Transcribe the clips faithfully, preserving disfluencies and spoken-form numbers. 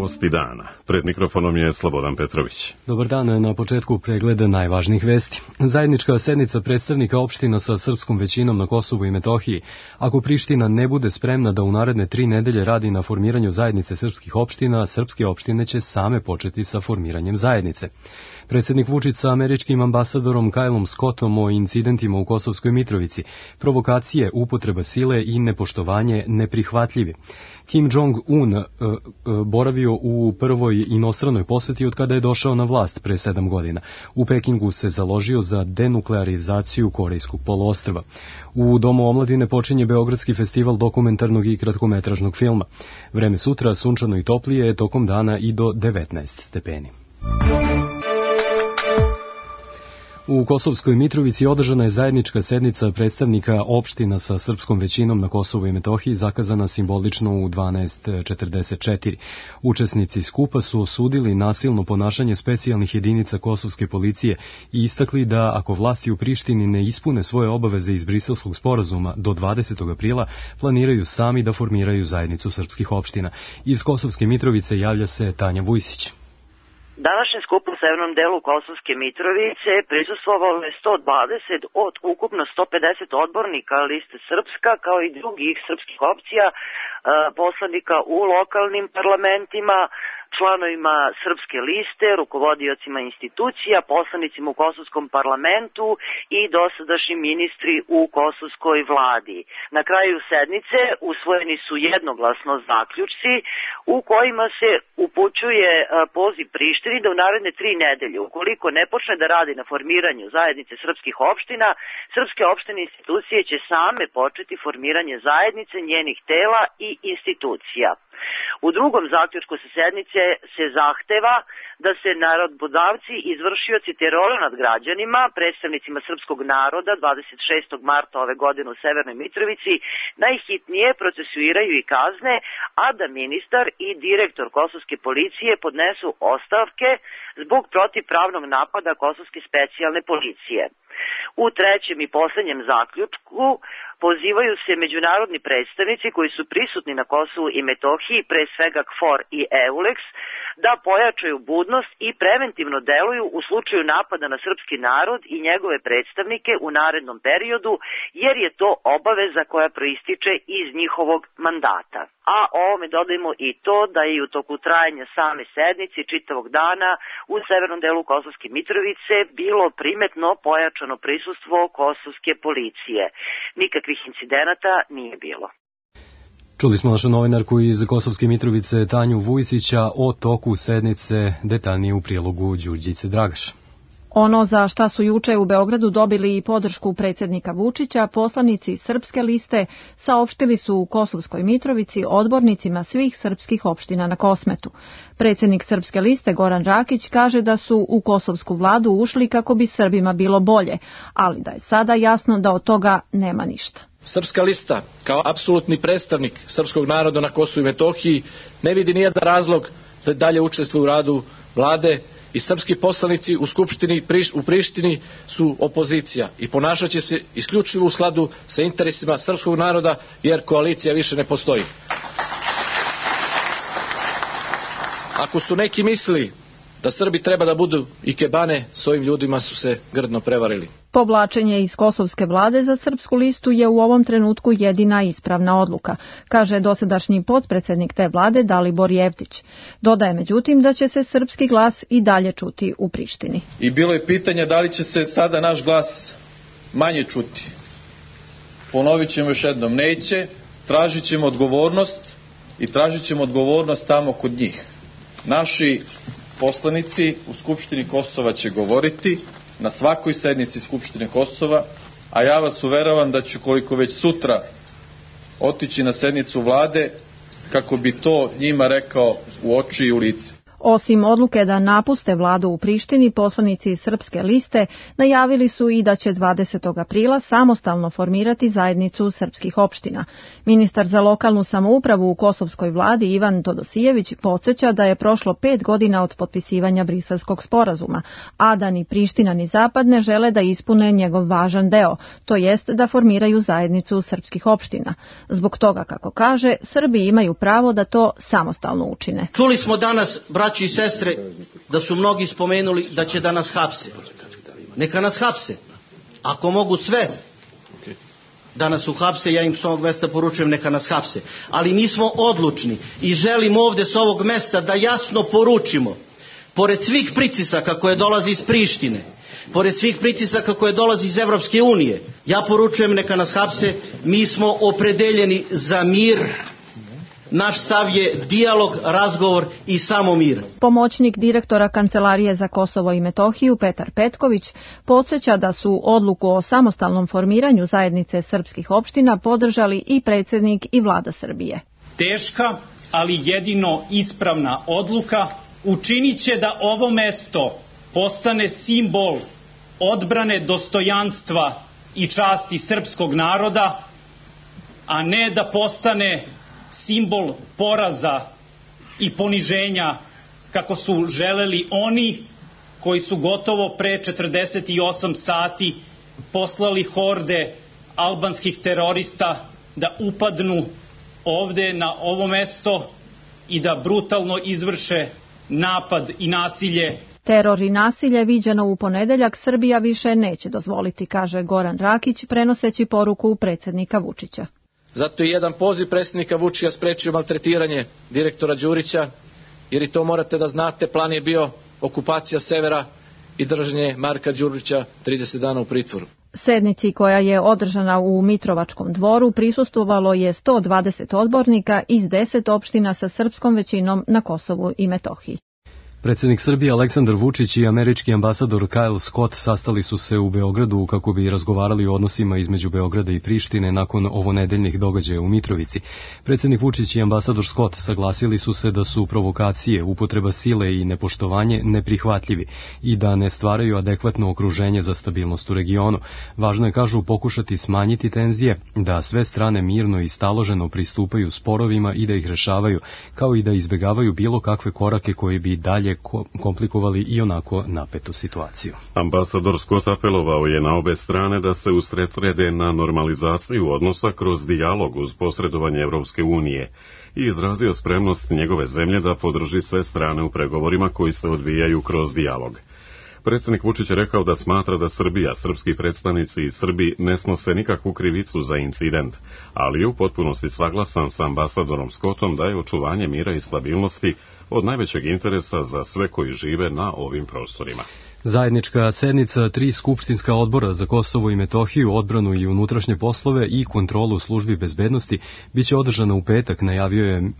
Novosti dana. Pred mikrofonom je Slobodan Petrović. Dobar dan, na početku pregleda najvažnijih vesti. Zajednička sednica predstavnika opština sa srpskom većinom na Kosovu i Metohiji. Ako Priština ne bude spremna da u naredne tri nedelje radi na formiranju zajednice srpskih opština, srpske opštine će same početi sa formiranjem zajednice. Predsjednik Vučić sa američkim ambasadorom Kylom Scottom o incidentima u Kosovskoj Mitrovici, provokacije, upotreba sile i nepoštovanje neprihvatljivi. Kim Jong-un e, e, boravio u prvoj inostranoj poseti od kada je došao na vlast pre sedam godina. U Pekingu se založio za denuklearizaciju Korejskog poluostrva. U Domu omladine počinje Beogradski festival dokumentarnog i kratkometražnog filma. Vreme sutra sunčano i toplije je tokom dana i do devetnaest stepeni. U Kosovskoj Mitrovici održana je zajednička sednica predstavnika opština sa srpskom većinom na Kosovu i Metohiji, zakazana simbolično u dvanaest četrdeset četiri. Učesnici skupa su osudili nasilno ponašanje specijalnih jedinica kosovske policije i istakli da ako vlasti u Prištini ne ispune svoje obaveze iz Briselskog sporazuma do dvadesetog aprila, planiraju sami da formiraju zajednicu srpskih opština. Iz Kosovske Mitrovice javlja se Tanja Vujsić. Današnjem skupu u severnom delu Kosovske Mitrovice prisustvovalo je sto dvadeset od ukupno sto pedeset odbornika liste Srpska, kao i drugih srpskih opcija, poslanika u lokalnim parlamentima, članovima Srpske liste, rukovodiocima institucija, poslanicima u Kosovskom parlamentu i dosadašnji ministri u Kosovskoj vladi. Na kraju sednice usvojeni su jednoglasno zaključci u kojima se upućuje poziv Prištini da u naredne tri nedelje, ukoliko ne počne da radi na formiranju zajednice srpskih opština, srpske opštine institucije će same početi formiranje zajednice, njenih tela i institucija. U drugom zaključku sa sednice se zahteva da se narododavci, izvršioci terora nad građanima, predstavnicima srpskog naroda dvadeset šestog marta ove godine u Severnoj Mitrovici najhitnije procesuiraju i kazne, a da ministar i direktor kosovske policije podnesu ostavke zbog protivpravnog napada kosovske specijalne policije. U trećem i poslednjem zaključku pozivaju se međunarodni predstavnici koji su prisutni na Kosovu i Metohiji, pre svega K F O R i EULEX, da pojačaju budnost i preventivno deluju u slučaju napada na srpski narod i njegove predstavnike u narednom periodu, jer je to obaveza koja proističe iz njihovog mandata. A ovome dodajemo i to da je u toku trajanja same sednice čitavog dana u severnom delu Kosovske Mitrovice bilo primetno pojačano prisustvo kosovske policije. Nikakvih incidenata nije bilo. Čuli smo našu novinarku iz Kosovske Mitrovice Tanju Vujsića o toku sednice, detaljnije u prilogu Đurđice Dragaš. Ono za šta su juče u Beogradu dobili i podršku predsjednika Vučića, poslanici Srpske liste saopštili su u Kosovskoj Mitrovici odbornicima svih srpskih opština na Kosmetu. Predsjednik Srpske liste Goran Rakić kaže da su u kosovsku vladu ušli kako bi Srbima bilo bolje, ali da je sada jasno da od toga nema ništa. Srpska lista, kao apsolutni predstavnik srpskog naroda na Kosovu i Metohiji, ne vidi nijedan razlog da dalje učestvuje u radu vlade i srpski poslanici u Skupštini u Prištini su opozicija i ponašat će se isključivo u skladu sa interesima srpskog naroda, jer koalicija više ne postoji. Ako su neki mislili da Srbi treba da budu ikebane, s ovim ljudima su se grdno prevarili. Povlačenje iz kosovske vlade za Srpsku listu je u ovom trenutku jedina ispravna odluka, kaže dosadašnji potpredsednik te vlade Dalibor Jevtić. Dodaje međutim da će se srpski glas i dalje čuti u Prištini. I bilo je pitanje da li će se sada naš glas manje čuti. Ponovit ćemo još jednom, neće, tražit ćemo odgovornost i tražit ćemo odgovornost tamo kod njih. Naši poslanici u Skupštini Kosova će govoriti na svakoj sednici Skupštine Kosova, a ja vas uveravam da ću koliko već sutra otići na sednicu vlade kako bi to njima rekao u oči i u lice. Osim odluke da napuste vladu u Prištini, poslanici Srpske liste najavili su i da će dvadesetog aprila samostalno formirati zajednicu srpskih opština. Ministar za lokalnu samoupravu u kosovskoj vladi Ivan Todosijević podsjeća da je prošlo pet godina od potpisivanja Briselskog sporazuma, a da ni Priština ni Zapad ne žele da ispune njegov važan deo, to jest da formiraju zajednicu srpskih opština. Zbog toga, kako kaže, Srbi imaju pravo da to samostalno učine. Čuli smo danas, braći i sestre, da su mnogi spomenuli da će da nas hapse. Neka nas hapse. Ako mogu sve da nas uhapse, ja im s ovog mesta poručujem neka nas hapse. Ali mi smo odlučni i želim ovde s ovog mesta da jasno poručimo, pored svih pritisaka koje dolazi iz Prištine, pored svih pritisaka koje dolazi iz Evropske unije, ja poručujem neka nas hapse, mi smo opredeljeni za mir. Naš stav je dijalog, razgovor i samo mir. Pomoćnik direktora Kancelarije za Kosovo i Metohiju Petar Petković podsjeća da su odluku o samostalnom formiranju zajednice srpskih opština podržali i predsjednik i vlada Srbije. Teška, ali jedino ispravna odluka učinit će da ovo mesto postane simbol odbrane dostojanstva i časti srpskog naroda, a ne da postane simbol poraza i poniženja kako su želeli oni koji su gotovo pre četrdeset osam sati poslali horde albanskih terorista da upadnu ovde na ovo mesto i da brutalno izvrše napad i nasilje. Teror i nasilje viđeno u ponedeljak Srbija više neće dozvoliti, kaže Goran Rakić, prenoseći poruku predsjednika Vučića. Zato je jedan poziv predsjednika Vučića sprečio maltretiranje direktora Đurića, jer i to morate da znate, plan je bio okupacija severa i držanje Marka Đurića trideset dana u pritvoru. Sednici koja je održana u Mitrovačkom dvoru prisustvovalo je sto dvadeset odbornika iz deset opština sa srpskom većinom na Kosovu i Metohiji. Predsjednik Srbije Aleksandar Vučić i američki ambasador Kyle Scott sastali su se u Beogradu kako bi razgovarali o odnosima između Beograda i Prištine nakon ovonedeljnih događaja u Mitrovici. Predsjednik Vučić i ambasador Scott saglasili su se da su provokacije, upotreba sile i nepoštovanje neprihvatljivi i da ne stvaraju adekvatno okruženje za stabilnost u regionu. Važno je, kažu, pokušati smanjiti tenzije, da sve strane mirno i staloženo pristupaju sporovima i da ih rešavaju, kao i da izbegavaju bilo kakve korake koji bi dalje komplikovali i onako napetu situaciju. Ambasador Scott apelovao je na obe strane da se usredsrede na normalizaciju odnosa kroz dijalog uz posredovanje Evropske unije i izrazio spremnost njegove zemlje da podrži sve strane u pregovorima koji se odvijaju kroz dijalog. Predsjednik Vučić je rekao da smatra da Srbija, srpski predstavnici i Srbi ne snose nikakvu krivicu za incident, ali je u potpunosti saglasan sa ambasadorom Scottom da je očuvanje mira i stabilnosti od najvećeg interesa za sve koji žive na ovim prostorima. Zajednička sednica tri skupštinska odbora za Kosovo i Metohiju, odbranu i unutrašnje poslove i kontrolu službi bezbednosti biće održana u petak, najavio je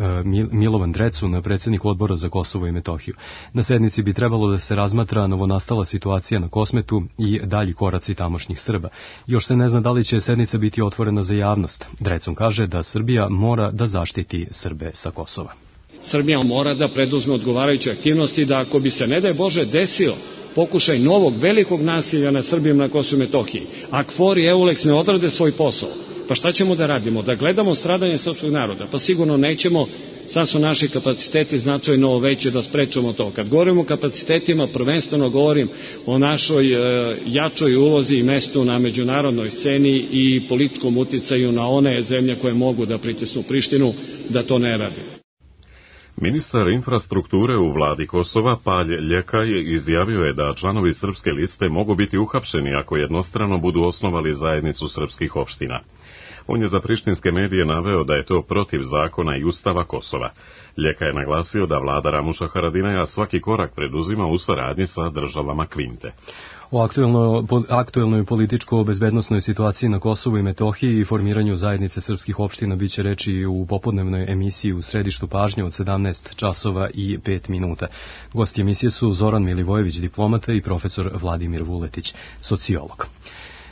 Milovan Drecun, predsjednik odbora za Kosovo i Metohiju. Na sednici bi trebalo da se razmatra novonastala situacija na Kosmetu i dalji koraci tamošnjih Srba. Još se ne zna da li će sednica biti otvorena za javnost. Drecun kaže da Srbija mora da zaštiti Srbe sa Kosova. Srbija mora da preduzme odgovarajuće aktivnosti da ako bi se, ne daj Bože, desio pokušaj novog velikog nasilja na Srbijom na Kosovu i Metohiji, a KFOR i EULEX ne odrade svoj posao, pa šta ćemo da radimo? Da gledamo stradanje srpskog naroda? Pa sigurno nećemo, sad su naši kapaciteti značajno veći da sprečamo to. Kad govorimo o kapacitetima, prvenstveno govorim o našoj e, jačoj ulozi i mestu na međunarodnoj sceni i političkom uticaju na one zemlje koje mogu da pritisnu Prištinu, da to ne radi. Ministar infrastrukture u vladi Kosova, Palj Ljekaj, izjavio je da članovi srpske liste mogu biti uhapšeni ako jednostrano budu osnovali zajednicu srpskih opština. On je za prištinske medije naveo da je to protiv zakona i ustava Kosova. Ljekaj je naglasio da vlada Ramuša Haradinaja svaki korak preduzima u saradnji sa državama Kvinte. O aktuelno, aktuelnoj političko-bezbednosnoj situaciji na Kosovu i Metohiji i formiranju zajednice srpskih opština biće reči u popodnevnoj emisiji u središtu pažnje od sedamnaest časova i pet minuta. Gosti emisije su Zoran Milivojević, diplomata, i profesor Vladimir Vuletić, sociolog.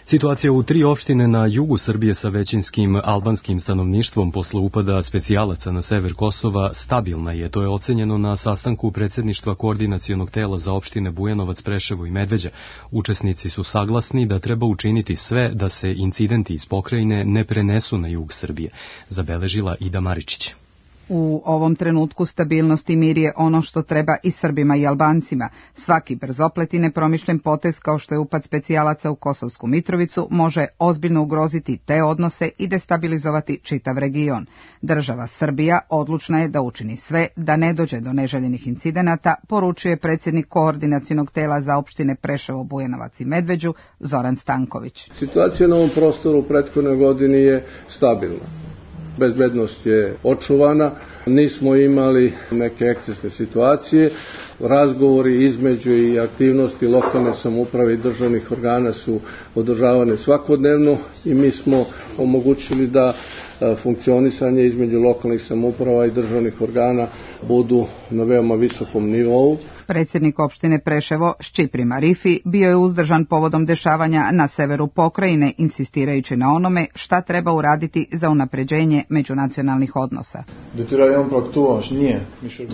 Situacija u tri opštine na jugu Srbije sa većinskim albanskim stanovništvom posle upada specijalaca na sever Kosova stabilna je. To je ocenjeno na sastanku predsjedništva koordinacionog tela za opštine Bujanovac, Preševo i Medveđa. Učesnici su saglasni da treba učiniti sve da se incidenti iz pokrajine ne prenesu na jug Srbije, zabeležila Ida Maričić. U ovom trenutku stabilnost i mir je ono što treba i Srbima i Albancima. Svaki brzoplet i nepromišljen potez kao što je upad specijalaca u Kosovsku Mitrovicu može ozbiljno ugroziti te odnose i destabilizovati čitav region. Država Srbija odlučna je da učini sve da ne dođe do neželjenih incidenata, poručuje predsjednik koordinacionog tela za opštine Preševo, Bujanovac i Medveđu Zoran Stanković. Situacija na ovom prostoru u prethodnoj godini je stabilna. Bezbednost je očuvana, nismo imali neke ekscesne situacije, razgovori između i aktivnosti lokalne samouprave i državnih organa su održavane svakodnevno i mi smo omogućili da funkcionisanje između lokalnih samouprava i državnih organa budu na veoma visokom nivou. Predsjednik opštine Preševo Šćipri Marifi bio je uzdržan povodom dešavanja na severu pokrajine, insistirajući na onome šta treba uraditi za unapređenje međunacionalnih odnosa.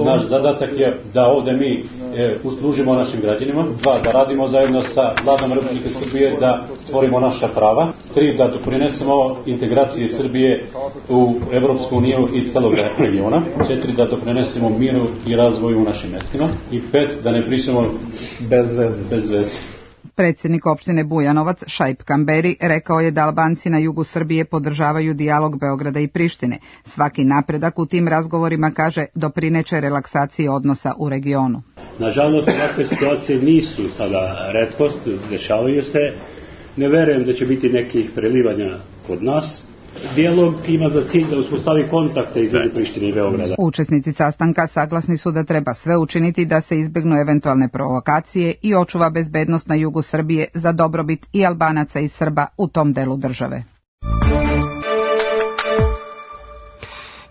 Naš zadatak je da ovdje mi e, uslužimo našim građanima, dva, da radimo zajedno sa vladom Republike Srbije, da stvorimo naša prava, tri, da doprinesemo integraciji Srbije u Evropsku uniju i celog regiona, četiri, da doprinesemo miru i razvoju u našim mestima i pet, da ne pričamo bez veze. Bez veze. Predsjednik opštine Bujanovac Šaip Kamberi rekao je da Albanci na jugu Srbije podržavaju dijalog Beograda i Prištine. Svaki napredak u tim razgovorima, kaže, doprineće relaksaciji odnosa u regionu. Nažalost, ovakve situacije nisu sada retkost, dešavaju se. Ne verujem da će biti nekih prelivanja kod nas. Dijalog ima za cilj da uspostavi kontakte između Prištine i Beograda. Učesnici sastanka saglasni su da treba sve učiniti da se izbegnu eventualne provokacije i očuva bezbednost na jugu Srbije za dobrobit i Albanaca i Srba u tom delu države.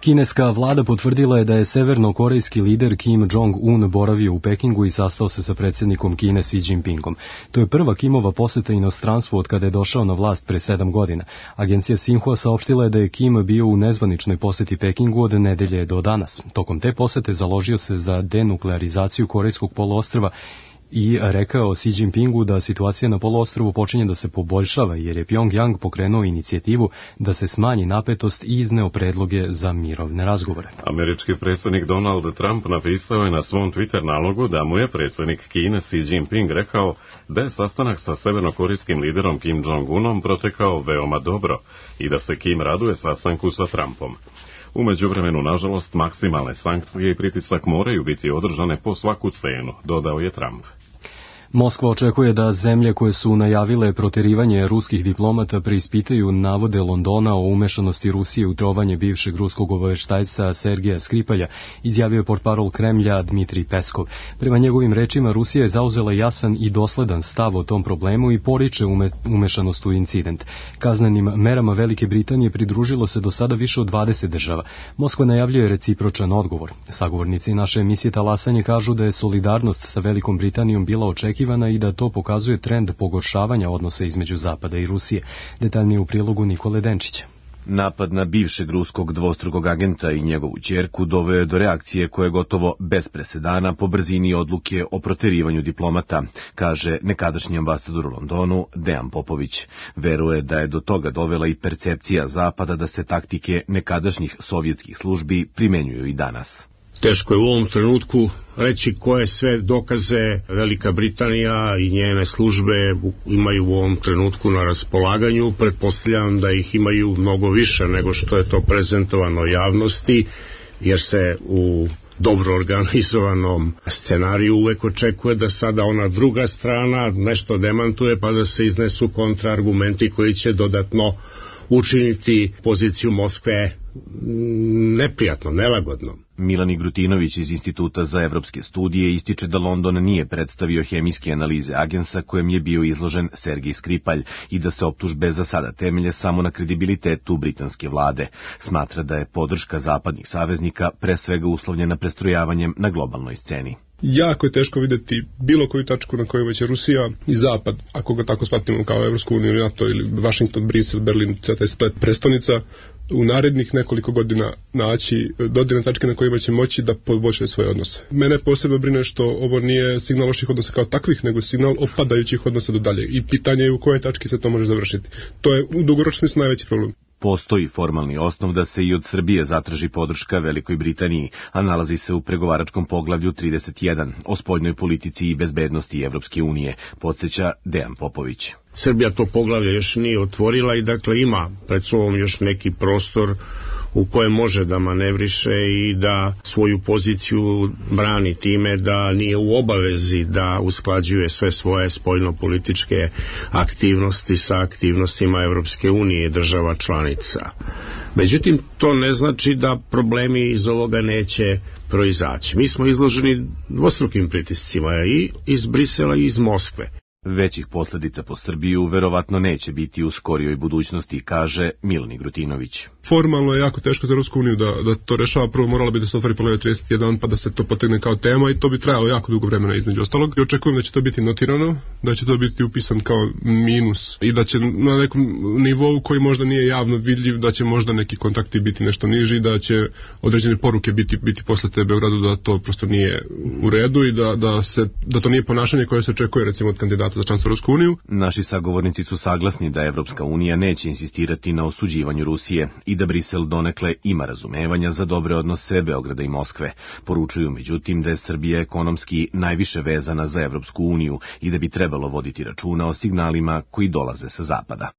Kineska vlada potvrdila je da je severnokorejski lider Kim Jong-un boravio u Pekingu i sastao se sa predsjednikom Kine Xi Jinpingom. To je prva Kimova poseta inostranstvu od kada je došao na vlast pre sedam godina. Agencija Sinhua saopštila je da je Kim bio u nezvaničnoj poseti Pekingu od nedelje do danas. Tokom te posete založio se za denuklearizaciju Korejskog poluostrva i rekao Xi Jinpingu da situacija na poluostrvu počinje da se poboljšava jer je Pyongyang pokrenuo inicijativu da se smanji napetost i izneo predloge za mirovne razgovore. Američki predsjednik Donald Trump napisao je na svom Twitter nalogu da mu je predsjednik Kine Xi Jinping rekao da je sastanak sa severnokorejskim liderom Kim Jong-unom protekao veoma dobro i da se Kim raduje sastanku sa Trumpom. U međuvremenu, nažalost, maksimalne sankcije i pritisak moraju biti održane po svaku cenu, dodao je Trump. Moskva očekuje da zemlje koje su najavile proterivanje ruskih diplomata preispitaju navode Londona o umešanosti Rusije u trovanje bivšeg ruskog obaveštajca Sergeja Skripalja, izjavio je portparol Kremlja Dmitrij Peskov. Prema njegovim rečima, Rusija je zauzela jasan i dosledan stav o tom problemu i poriče ume, umešanost u incident. Kaznenim merama Velike Britanije pridružilo se do sada više od dvadeset država. Moskva najavljuje recipročan odgovor. Sagovornici naše emisije Talasanje kažu da je solidarnost sa Velikom Britanijom bila očekivana i da to pokazuje trend pogoršavanja odnosa između Zapada i Rusije. Detaljnije u prilogu Nikole Denčića. Napad na bivšeg ruskog dvostrukog agenta i njegovu ćerku doveo je do reakcije koje je gotovo bez presedana po brzini odluke o proterivanju diplomata, kaže nekadašnji ambasador u Londonu Dejan Popović. Veruje da je do toga dovela i percepcija Zapada da se taktike nekadašnjih sovjetskih službi primenjuju i danas. Teško je u ovom trenutku reći koje sve dokaze Velika Britanija i njene službe imaju u ovom trenutku na raspolaganju. Pretpostavljam da ih imaju mnogo više nego što je to prezentovano javnosti, jer se u dobro organizovanom scenariju uvek očekuje da sada ona druga strana nešto demantuje pa da se iznesu kontraargumenti koji će dodatno učiniti poziciju Moskve neprijatno, nelagodno. Milani Grutinović iz Instituta za evropske studije ističe da London nije predstavio hemijske analize agensa kojem je bio izložen Sergij Skripalj i da se optužbe za sada temelje samo na kredibilitetu britanske vlade. Smatra da je podrška zapadnih saveznika pre svega uslovljena prestrojavanjem na globalnoj sceni. Jako je teško videti bilo koju tačku na kojoj će Rusija i Zapad, ako ga tako shvatimo kao Evropsku uniju, NATO ili Washington, Brisel, Berlin, taj splet prestonica, u narednih nekoliko godina naći dodirne tačke na kojima će moći da poboljšaju svoje odnose. Mene posebno brine što ovo nije signal loših odnosa kao takvih, nego signal opadajućih odnosa do dalje. I pitanje je u kojoj tački se to može završiti. To je u dugoročnom smislu najveći problem. Postoji formalni osnov da se i od Srbije zatraži podrška Velikoj Britaniji, a nalazi se u pregovaračkom poglavlju trideset jedan o spoljnoj politici i bezbednosti Evropske unije, podsjeća Dejan Popović. Srbija to poglavlje još nije otvorila i dakle ima pred sobom još neki prostor u kojem može da manevriše i da svoju poziciju brani time da nije u obavezi da usklađuje sve svoje spoljno-političke aktivnosti sa aktivnostima Evropske unije i država članica. Međutim, to ne znači da problemi iz ovoga neće proizaći. Mi smo izloženi dvostrukim pritiscima i iz Brisela i iz Moskve. Većih posljedica po Srbiju verovatno neće biti u skorijoj budućnosti, kaže Milani Grutinović. Formalno je jako teško za Rusku uniju da, da to rešava. Prvo moralo bi da se otvori poglavlje trideset jedan pa da se to potegne kao tema i to bi trajalo jako dugo vremena između ostalog. I očekujem da će to biti notirano, da će to biti upisan kao minus i da će na nekom nivou koji možda nije javno vidljiv, da će možda neki kontakti biti nešto niži, da će određene poruke biti, biti posle te Beogradu da to prosto nije u redu i da, da, se, da to nije ponašanje koje se očekuje recimo od kandidata za članstvo Rusku uniju. Naši sagovornici su saglasni da Evropska unija neće insistirati na osuđivanju Rusije i da Brisel donekle ima razumevanja za dobre odnose Beograda i Moskve. Poručuju međutim da je Srbija ekonomski najviše vezana za Evropsku uniju i da bi trebalo voditi računa o signalima koji dolaze sa zapada.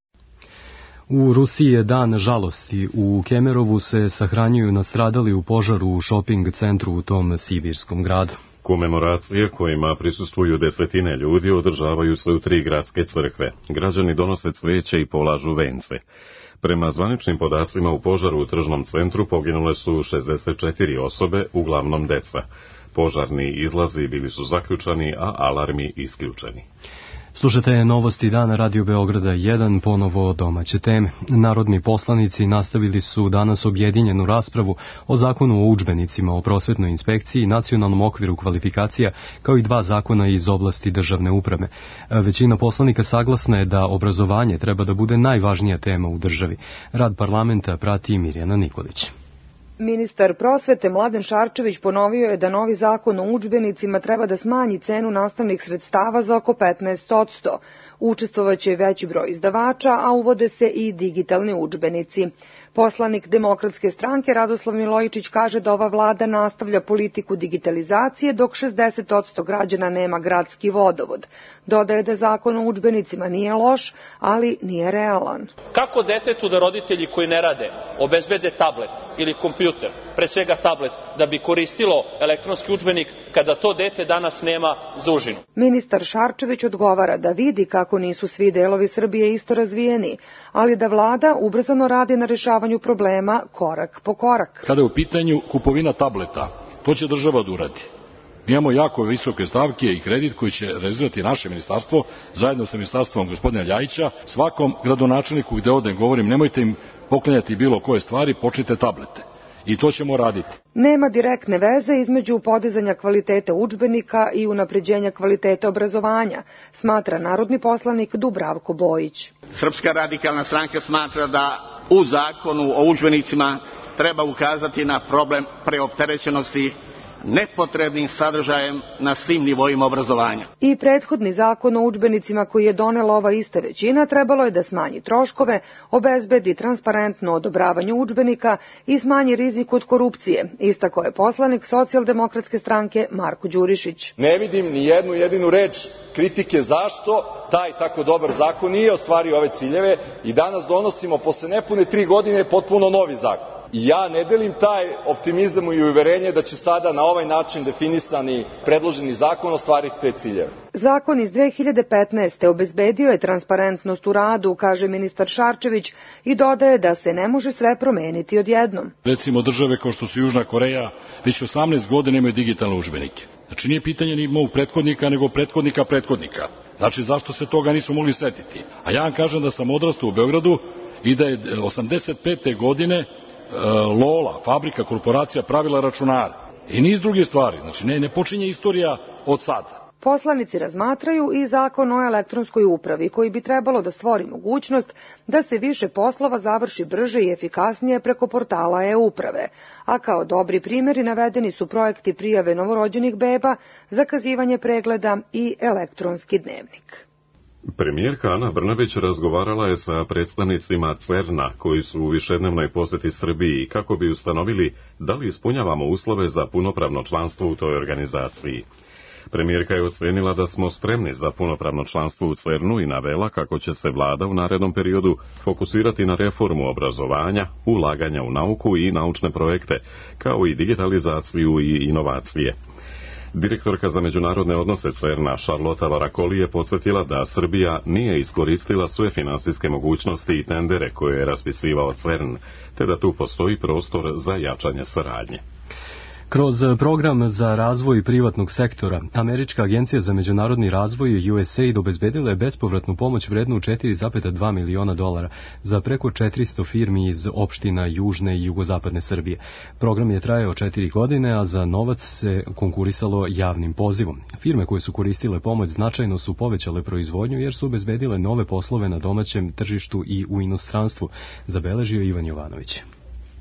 U Rusiji je dan žalosti. U Kemerovu se sahranjuju nastradali u požaru u šoping centru u tom sibirskom gradu. Komemoracije kojima prisustvuju desetine ljudi održavaju se u tri gradske crkve. Građani donose cveće i polažu vence. Prema zvaničnim podacima u požaru u tržnom centru poginule su šezdeset četiri osobe, uglavnom deca. Požarni izlazi bili su zaključani, a alarmi isključeni. Slušajte novosti dana Radio Beograda jedan, ponovo domaće teme. Narodni poslanici nastavili su danas objedinjenu raspravu o zakonu o udžbenicima, o prosvetnoj inspekciji, nacionalnom okviru kvalifikacija, kao i dva zakona iz oblasti državne uprave. Većina poslanika saglasna je da obrazovanje treba da bude najvažnija tema u državi. Rad parlamenta prati Mirjana Nikolić. Ministar prosvete Mladen Šarčević ponovio je da novi zakon o udžbenicima treba da smanji cenu nastavnih sredstava za oko petnaest posto. Učestvovaće veći broj izdavača, a uvode se i digitalni udžbenici. Poslanik Demokratske stranke Radoslav Milojičić kaže da ova vlada nastavlja politiku digitalizacije, dok šezdeset posto građana nema gradski vodovod. Dodaje da zakon o udžbenicima nije loš, ali nije realan. Kako detetu da roditelji koji ne rade obezbede tablet ili kompjuter, pre svega tablet, da bi koristilo elektronski udžbenik kada to dete danas nema za užinu? Ministar Šarčević odgovara da vidi kako nisu svi delovi Srbije isto razvijeni, ali da vlada ubrzano radi na rešavanju problema korak po korak. Kada je u pitanju kupovina tableta, to će država da uradi. Mi imamo jako visoke stavke i kredit koji će realizirati naše ministarstvo, zajedno sa ministarstvom gospodina Ljajića. Svakom gradonačelniku gde odem govorim, nemojte im poklanjati bilo koje stvari, počnite tablete. I to ćemo raditi. Nema direktne veze između podizanja kvaliteta udžbenika i unapređenja kvaliteta obrazovanja, smatra narodni poslanik Dubravko Bojić. Srpska radikalna stranka smatra da u zakonu o udžbenicima treba ukazati na problem preopterećenosti nepotrebnim sadržajem na svim nivoima obrazovanja. I prethodni zakon o udžbenicima koji je donela ova ista većina trebalo je da smanji troškove, obezbedi transparentno odobravanje udžbenika i smanji rizik od korupcije, istako je poslanik Socijaldemokratske stranke Marko Đurišić. Ne vidim ni jednu jedinu reč kritike zašto taj tako dobar zakon nije ostvario ove ciljeve i danas donosimo posle nepune tri godine potpuno novi zakon. I ja ne delim taj optimizam i uverenje da će sada na ovaj način definisani predloženi zakon ostvariti te ciljeve. Zakon iz dve hiljade petnaeste. obezbedio je transparentnost u radu, kaže ministar Šarčević, i dodaje da se ne može sve promeniti odjednom. Recimo države kao što su Južna Koreja već osamnaest godina imaju digitalne udžbenike. Znači nije pitanje ni mog prethodnika, nego prethodnika prethodnika. Znači zašto se toga nisu mogli setiti? A ja vam kažem da sam odrastao u Beogradu i da je osamdeset pete godine Lola, fabrika, korporacija pravila računare. I niz druge stvari. Znači, ne, ne počinje istorija od sada. Poslanici razmatraju i zakon o elektronskoj upravi, koji bi trebalo da stvori mogućnost da se više poslova završi brže i efikasnije preko portala e-uprave, a kao dobri primjeri navedeni su projekti prijave novorođenih beba, zakazivanje pregleda i elektronski dnevnik. Premijerka Ana Brnabić razgovarala je sa predstavnicima CERN-a koji su u višednevnoj poseti Srbiji kako bi ustanovili da li ispunjavamo uslove za punopravno članstvo u toj organizaciji. Premijerka je ocenila da smo spremni za punopravno članstvo u CERN-u i navela kako će se vlada u narednom periodu fokusirati na reformu obrazovanja, ulaganja u nauku i naučne projekte, kao i digitalizaciju i inovacije. Direktorka za međunarodne odnose CERN-a Charlotte Varakoli je podsjetila da Srbija nije iskoristila sve finansijske mogućnosti i tendere koje je raspisivao CERN, te da tu postoji prostor za jačanje saradnje. Kroz program za razvoj privatnog sektora, Američka agencija za međunarodni razvoj U S A I D obezbedila je bespovratnu pomoć vrednu četiri zarez dva miliona dolara za preko četiristo firmi iz opština južne i jugozapadne Srbije. Program je trajao četiri godine, a za novac se konkurisalo javnim pozivom. Firme koje su koristile pomoć značajno su povećale proizvodnju jer su obezbedile nove poslove na domaćem tržištu i u inostranstvu, zabeležio Ivan Jovanović.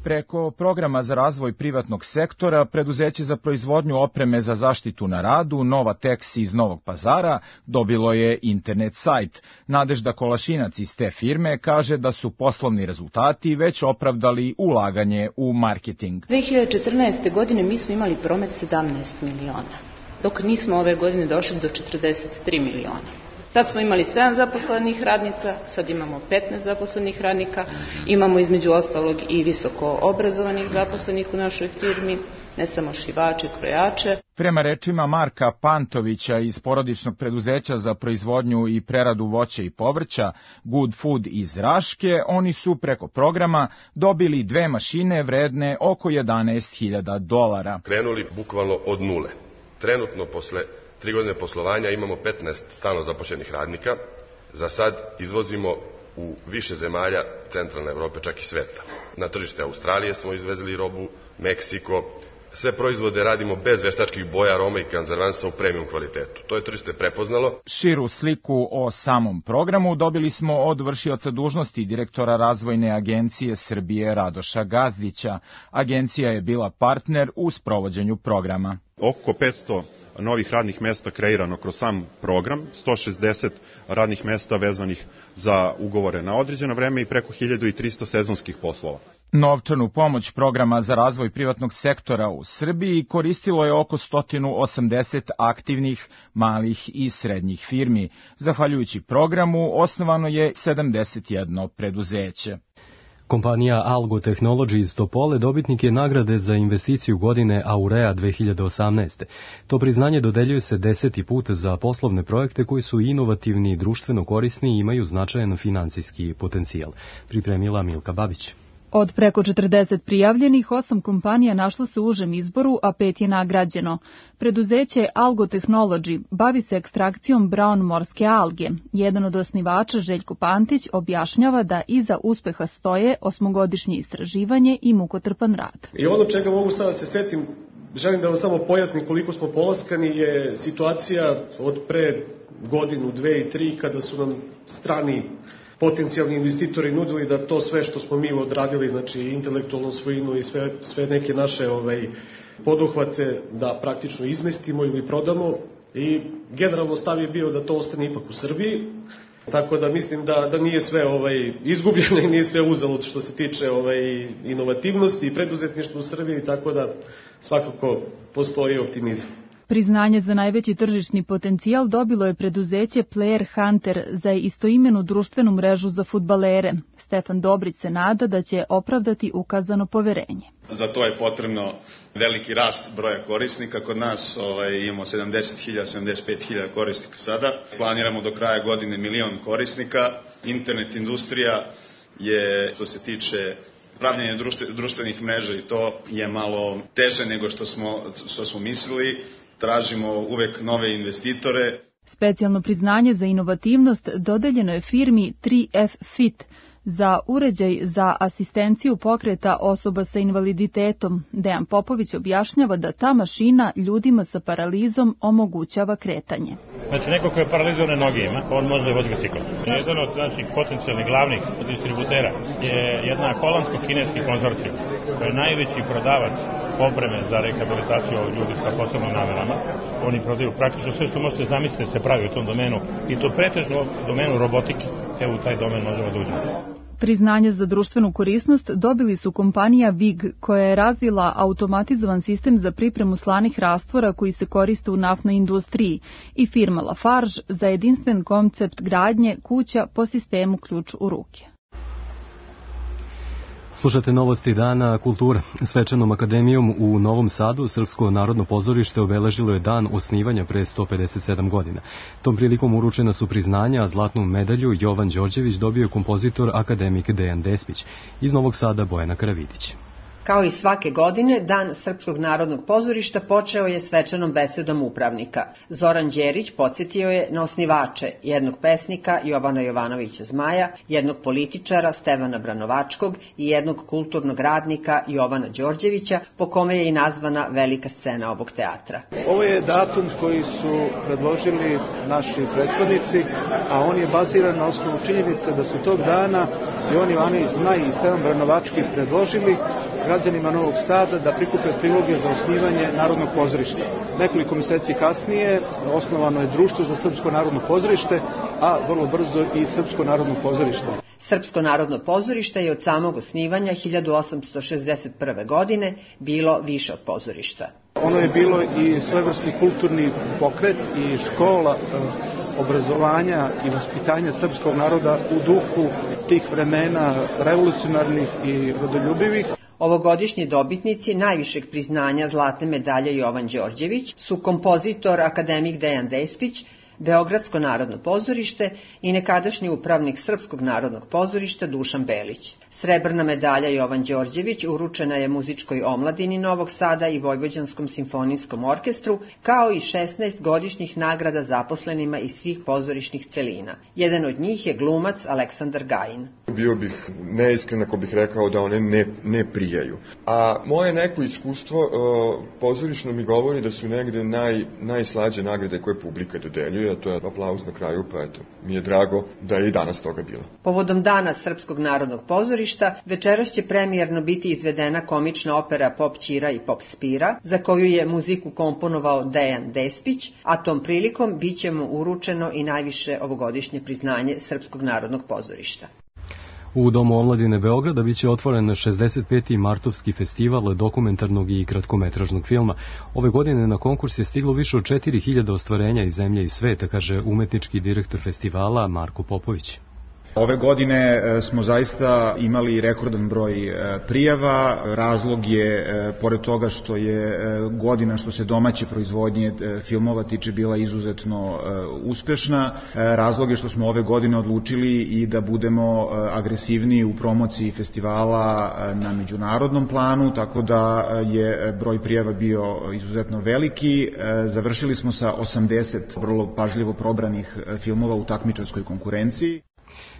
Preko programa za razvoj privatnog sektora, preduzeće za proizvodnju opreme za zaštitu na radu, Nova Tex iz Novog Pazara, dobilo je internet sajt. Nadežda Kolašinac iz te firme kaže da su poslovni rezultati već opravdali ulaganje u marketing. dve hiljade četrnaeste. godine mi smo imali promet sedamnaest miliona, dok nismo ove godine došli do četrdeset tri miliona. Tad smo imali sedam zaposlenih radnica, sad imamo petnaest zaposlenih radnika, imamo između ostalog i visoko obrazovanih zaposlenih u našoj firmi, ne samo šivače, krojače. Prema rečima Marka Pantovića iz porodičnog preduzeća za proizvodnju i preradu voća i povrća Good Food iz Raške, oni su preko programa dobili dve mašine vredne oko jedanaest hiljada dolara. Krenuli bukvalno od nule. Trenutno posle tri godine poslovanja imamo petnaest stalno zaposlenih radnika. Za sad izvozimo u više zemalja centralne Evrope, čak i sveta. Na tržište Australije smo izvezli robu, Meksiko. Sve proizvode radimo bez veštačkih boja, aroma i konzervansa u premium kvalitetu. To je tržište prepoznalo. Širu sliku o samom programu dobili smo od vršioca dužnosti direktora Razvojne agencije Srbije Radoša Gazdića. Agencija je bila partner u sprovođenju programa. Oko petsto novih radnih mesta kreirano kroz sam program, sto šezdeset radnih mesta vezanih za ugovore na određeno vreme i preko hiljadu trista sezonskih poslova. Novčanu pomoć programa za razvoj privatnog sektora u Srbiji koristilo je oko sto osamdeset aktivnih malih i srednjih firmi. Zahvaljujući programu osnovano je sedamdeset jedno preduzeće. Kompanija Algo Technology iz Topole dobitnik je nagrade za investiciju godine Aurea dve hiljade osamnaeste. To priznanje dodeljuje se deseti put za poslovne projekte koji su inovativni, društveno korisni i imaju značajan finansijski potencijal. Pripremila Milka Babić. Od preko četrdeset prijavljenih, osam kompanija našlo se u užem izboru, a pet je nagrađeno. Preduzeće Algo Technology bavi se ekstrakcijom brown morske alge. Jedan od osnivača, Željko Pantić, objašnjava da iza uspeha stoje osmogodišnje istraživanje i mukotrpan rad. I ono čega mogu sada se setim, želim da vam samo pojasnim koliko smo polaskani, je situacija od pre godinu, dve i tri, kada su nam strani potencijalni investitori nudili da to sve što smo mi odradili, znači intelektualnu svojinu i sve, sve neke naše ovaj, poduhvate, da praktično izmestimo ili prodamo, i generalno stav je bio da to ostane ipak u Srbiji. Tako da mislim da, da nije sve ovaj, izgubljeno i nije sve uzalud što se tiče ovaj, inovativnosti i preduzetništva u Srbiji, tako da svakako postoji optimizam. Priznanje za najveći tržišni potencijal dobilo je preduzeće Player Hunter za istoimenu društvenu mrežu za fudbalere. Stefan Dobrić se nada da će opravdati ukazano poverenje. Za to je potrebno veliki rast broja korisnika. Kod nas ovaj, imamo sedamdeset hiljada, sedamdeset pet hiljada korisnika sada. Planiramo do kraja godine milion korisnika. Internet industrija je, što se tiče pravljenja društvenih mreža, i to je malo teže nego što smo, što smo mislili. Tražimo uvek nove investitore. Specijalno priznanje za inovativnost dodeljeno je firmi tri F Fit za uređaj za asistenciju pokreta osoba sa invaliditetom. Dejan Popović objašnjava da ta mašina ljudima sa paralizom omogućava kretanje. Znači, neko ko je paralizovane noge ima, on može voziti bicikl. Jedan od naših potencijalnih glavnih distributera je jedna holandsko-kineski konzorcijum, koji je najveći prodavac opreme za rehabilitaciju ovih ljudi sa posebnim namerama. Oni prodaju praktično sve što možete zamisliti se pravi u tom domenu, i to pretežno u domenu robotike. Evo, u taj domen možemo da uđemo. Priznanje za društvenu korisnost dobili su kompanija V I G, koja je razvila automatizovan sistem za pripremu slanih rastvora koji se koriste u naftnoj industriji, i firma Lafarge za jedinstven koncept gradnje kuća po sistemu ključ u ruke. Slušate novosti dana kulture. Svečanom akademijom u Novom Sadu Srpsko narodno pozorište obeležilo je dan osnivanja pre sto pedeset sedam godina. Tom prilikom uručena su priznanja, a zlatnu medalju Jovan Đorđević dobio je kompozitor akademik Dejan Despić. Iz Novog Sada Bojana Karavidić. Kao i svake godine, Dan Srpskog narodnog pozorišta počeo je svečanom besedom upravnika. Zoran Đerić podsjetio je na osnivače, jednog pesnika Jovana Jovanovića Zmaja, jednog političara Stevana Branovačkog i jednog kulturnog radnika Jovana Đorđevića, po kome je i nazvana velika scena ovog teatra. Ovo je datum koji su predložili naši prethodnici, a on je baziran na osnovu činjenice da su tog dana Jovan Jovanović Zmaj i Stevan Branovački predložili građanima Novog Sada da prikupe priloge za osnivanje Narodnog pozorišta. Nekoliko meseci kasnije osnovano je Društvo za Srpsko narodno pozorište, a vrlo brzo i Srpsko narodno pozorište. Srpsko narodno pozorište je od samog osnivanja hiljadu osamsto šezdeset prve. godine bilo više od pozorišta. Ono je bilo i svojevrsni kulturni pokret i škola obrazovanja i vaspitanja srpskog naroda u duhu tih vremena revolucionarnih i rodoljubivih. Ovogodišnji dobitnici najvišeg priznanja zlatne medalje Jovan Đorđević su kompozitor akademik Dejan Despić, Beogradsko narodno pozorište i nekadašnji upravnik Srpskog narodnog pozorišta Dušan Belić. Srebrna medalja Jovan Đorđević uručena je muzičkoj omladini Novog Sada i Vojvođanskom simfonijskom orkestru, kao i šesnaest godišnjih nagrada zaposlenima iz svih pozorišnih celina. Jedan od njih je glumac Aleksandar Gajin. Bio bih neiskren ako bih rekao da one ne, ne prijaju. A moje neko iskustvo uh, pozorišno mi govori da su negde naj, najslađe nagrade koje publika dodeljuje, a to je aplauz na kraju, pa eto, mi je drago da je i danas toga bilo. Povodom Dana Srpskog narodnog pozorišta, večeras će premijerno biti izvedena komična opera Pop Ćira i Pop Spira, za koju je muziku komponovao Dejan Despić, a tom prilikom bit će mu uručeno i najviše ovogodišnje priznanje Srpskog narodnog pozorišta. U Domu omladine Beograda biće otvoren šezdeset peti Martovski festival dokumentarnog i kratkometražnog filma. Ove godine na konkurs je stiglo više od četiri hiljade ostvarenja iz zemlje i sveta, kaže umetnički direktor festivala Marko Popović. Ove godine smo zaista imali rekordan broj prijava. Razlog je, pored toga što je godina što se domaće proizvodnje filmova tiče bila izuzetno uspešna, razlog je što smo ove godine odlučili i da budemo agresivniji u promociji festivala na međunarodnom planu, tako da je broj prijava bio izuzetno veliki. Završili smo sa osamdeset vrlo pažljivo probranih filmova u takmičarskoj konkurenciji.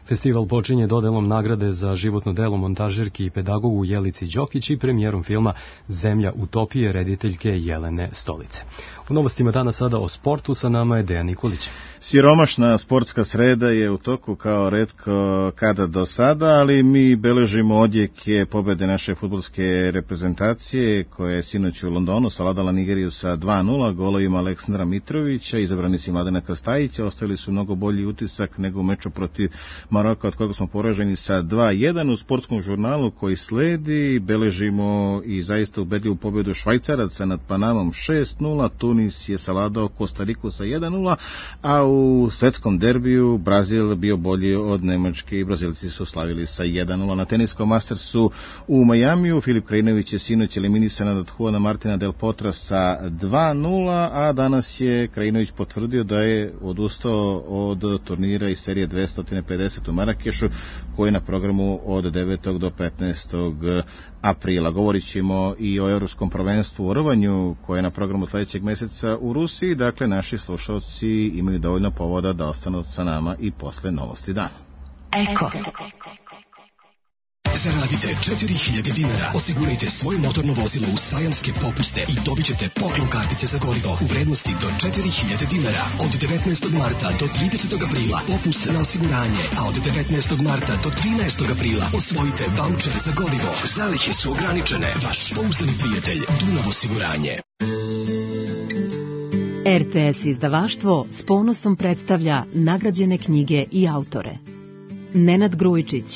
Festival počinje dodelom nagrade za životno delo montažerki i pedagogu Jelici Đokić i premijerom filma Zemlja utopije rediteljke Jelene Stolice. U novostima dana sada o sportu, sa nama je Dejan Nikolić. Siromašna sportska sreda je u toku kao retko kada do sada, ali mi beležimo odjeke pobede naše fudbalske reprezentacije koja je sinoć u Londonu savladala Nigeriju sa dva nula golovima Aleksandra Mitrovića, izabrani si Mladena Krstajića, ostavili su mnogo bolji utisak nego u meču protiv Maroka od kojeg smo poraženi sa dva jedan. U sportskom žurnalu koji sledi beležimo i zaista ubedljivu pobedu Švajcaraca nad Panamom šest nula, Tunis je savladao Kostariku sa jedan nula, a u svetskom derbiju Brazil bio bolji od Nemačke i Brazilci su slavili sa jedan nula. Na teniskom Mastersu u Majamiju Filip Krajinović je sinoć eliminisan od Juana Martina Del Potra sa dva nula, a danas je Krajinović potvrdio da je odustao od turnira iz serije dvesta pedeset u Marakešu, koji je na programu od devetog do petnaestog aprila. Govorit ćemo i o Evropskom prvenstvu u rvanju, koje je na programu sledećeg meseca meseca u Rusiji, dakle naši slušalci imaju dovoljno povoda da ostanu sa nama i posle novosti dana. Eko. Zaradite četiri hiljade dinara, osigurajte svoje motorno vozilo u sajamske popuste i dobit ćete poklon kartice za gorivo u vrednosti do četiri hiljade dinara. Od devetnaestog marta do tridesetog aprila popust na osiguranje, a od devetnaestog marta do trinaestog aprila osvojite vaučer za gorivo. Zalihe su ograničene. Vaš pouzdani prijatelj Dunav osiguranje. R T S izdavaštvo s ponosom predstavlja nagrađene knjige i autore. Nenad Grujičić,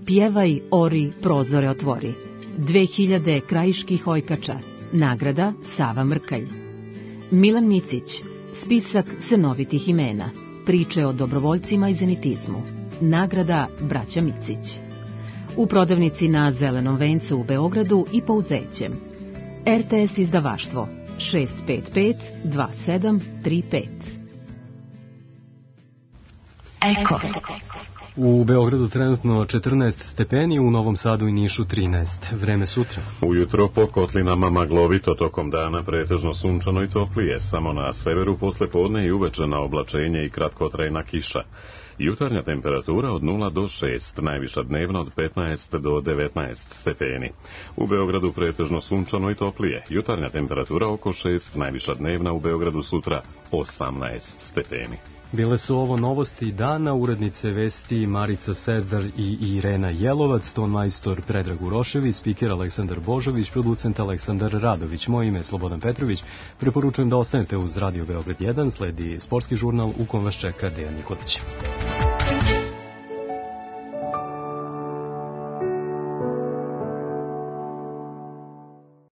Pjevaj, ori, prozore otvori. dve hiljade krajiških ojkača. Nagrada Sava Mrkalj. Milan Micić, Spisak senovitih imena. Priče o dobrovoljcima i zenitizmu. Nagrada Braća Micić. U prodavnici na Zelenom vencu u Beogradu i Pouzećem. R T S izdavaštvo šest pet pet dva sedam tri pet. Eko. U Beogradu trenutno četrnaest stepeni, u Novom Sadu i Nišu trinaest. Vreme sutra. Ujutro po kotlinama maglovito, tokom dana pretežno sunčano i toplije, samo na severu posle podne i uveče na oblačenje i kratkotrajna kiša. Jutarnja temperatura od nula do šest, najviša dnevna od petnaest do devetnaest stepeni. U Beogradu pretežno sunčano i toplije. Jutarnja temperatura oko šest, najviša dnevna u Beogradu sutra osamnaest stepeni. Bile su ovo novosti dana, urednice vesti Marica Serdar i Irena Jelovac, ton majstor Predrag Urošević, spiker Aleksandar Božović, producent Aleksandar Radović. Moje ime je Slobodan Petrović. Preporučujem da ostanete uz Radio Beograd jedan, sledi sportski žurnal u kom vas čeka Dejan Nikolić.